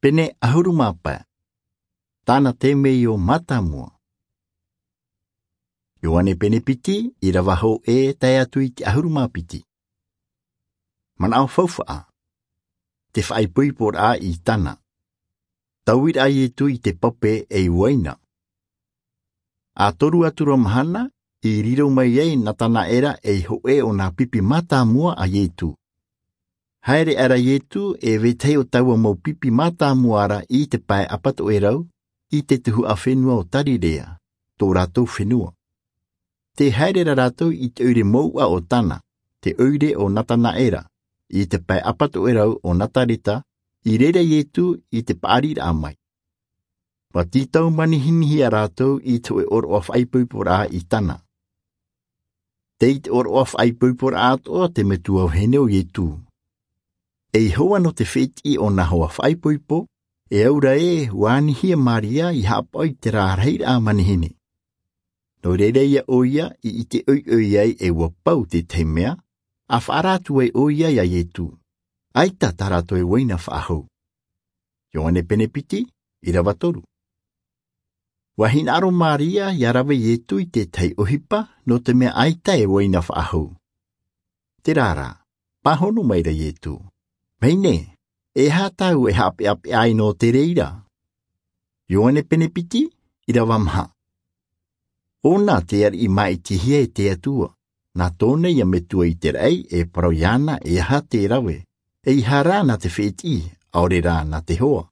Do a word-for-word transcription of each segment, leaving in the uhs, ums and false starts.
Pene ʻahuru mā pae. Tāna temeio mātāmua. Ioane pene piti, ʻīrava hōʻē tae atu i te ʻahuru mā piti. Manaʻo faufaʻa. Te faʻaipoiporaʻa i Tana. Tauiraʻa a Ietu i te pape ei uaina. ʻA toru atu ra mahana, i riro mai ai Natanaera ei hōʻē o nā pipi mātāmua a Ietu. Haere aʻera Ietu e vetahi o taua mau pipi mātāmua ra i te pae ʻapatoʻerau, i te tuhaʻa fenua o Tarirea, tō rātou fenua. Tē haere ra rātou i te ʻoire mouʻa o Tana, te ʻoire o Natanaera, i te pae ʻapatoʻerau o Nazareta, i reira Ietu i te paʻariraʻa mai. ʻUa tītau manihinihia rātou i te hōʻē ʻōroʻa faʻaipoiporaʻa i Tana. Tei te ʻōroʻa faʻaipoiporaʻa atoʻa te metua vahine o Ietu. Ei hoa nō te fētiʻi o nā hoa faʻaipoipo, e aura ē, ʻua anihia Maria i haʻapaʻo i terā rahiraʻa manihini. Nō reira ïa ʻoia i ʻite ʻoiʻoi ai e ʻua pau te tahi mea, ʻa faʻaara atu ai ʻoia ia Ietu. ʻAita tā rātou e uaina faʻahou. Ioane pene piti, ʻīrava toru. ʻUa hinaʻaro Maria ʻia rave Ietu i te tahi ʻohipa, nō te mea ʻaita e uaina faʻahou. Terā rā, pāhono maira Ietu. Vahine, e aha tāʻu e haʻapeʻapeʻa ai nō te reira? Ioane pene piti, ʻīrava maha. ʻŌna tē ariʻi māʻitihia e te Atua, nā tōna ïa metua i te raʻi e parau iāna e aha te rave, ʻeiaha rā nā te fētiʻi, ʻaore rā nā te hoa.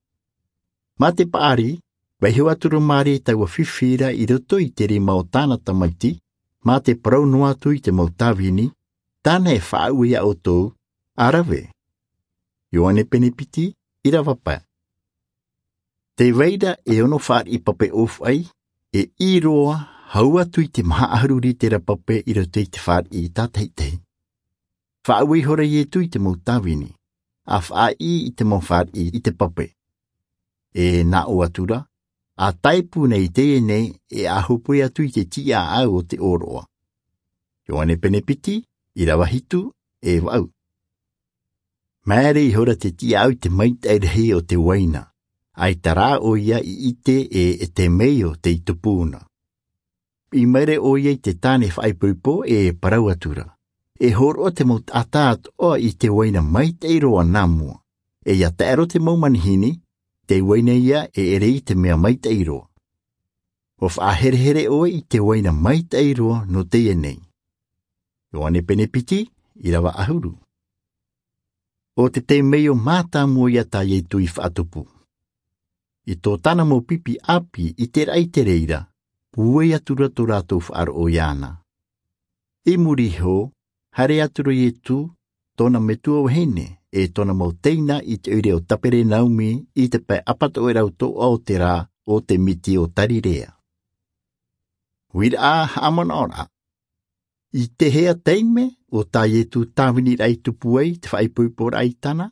Mā te paʻari, vaiiho atu ra Maria i taua fifi ra i roto i te rima o tāna Tamaiti, mā te parau noa atu i te mau tāvini, tāna e faʻaue ia ʻoutou, ʻa rave. Ioane pene piti, ʻīrava pae. Tē vai ra e ono fāriʻi pape ʻōfaʻi, e ʻī roa, hau atu i te maha ʻahuru rītera pape i roto i te fāriʻi tātaʻitahi. Faʻaue ihora Ietu i te mau tāvini, ʻa faʻaʻī i te mau fāriʻi i te pape. E nā ʻō atu ra, ʻa tāipu nei i teie nei, e ʻa hōpoi atu i te tiʻaʻau o te ʻōroʻa. Ioane pene piti, ʻīrava hitu, e vaʻu. Māere ihora te tiʻaʻau i te maitaʻi rahi o te uaina, ʻaita rā ʻoia i ʻite e, e temeio tei tupu na. Piʻi maira ʻoia i te tāne faʻaipoipo e parau atu ra. E hōroʻa te mau taʻata atoʻa i te uaina maitaʻi roa nā mua. E ʻia taʻero te mau manihini, te uaina ïa e ʻere i te mea maitaʻi roa. ʻUa faʻaherehere ʻoe i te uaina maitaʻi roa nō teie nei. Ioane pene piti, ʻīrava ʻahuru. ʻO te temeio mātāmua ïa tā Ietu i faʻatupu. I tō tāna mau pipi ʻāpī i te raʻi i te reira, pūai atu ra tō rātou faʻaroʻo iāna. I muri iho, haere atu ra Ietu, tōna metua vahine, e tōna mau teina i te ʻoire o Taperenaumi i te pae ʻapatoʻerau toʻa o te rā, ʻo te miti o Tarirea. Uiraʻa haʻamanaʻoraʻa. I te hea taime, ʻo tā Ietu tāviniraʻa i tupu ai te faʻaipoiporaʻa i Tana?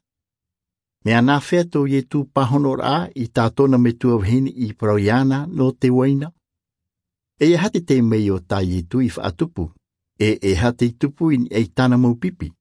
Mea nāfea tō Ietu pāhonoraʻa i tā tōna metua vahine i parau iāna nō te uaina? E aha te temeio tā Ietu i faʻatupu, e e aha tei tupu i niʻa i tāna mau pipi?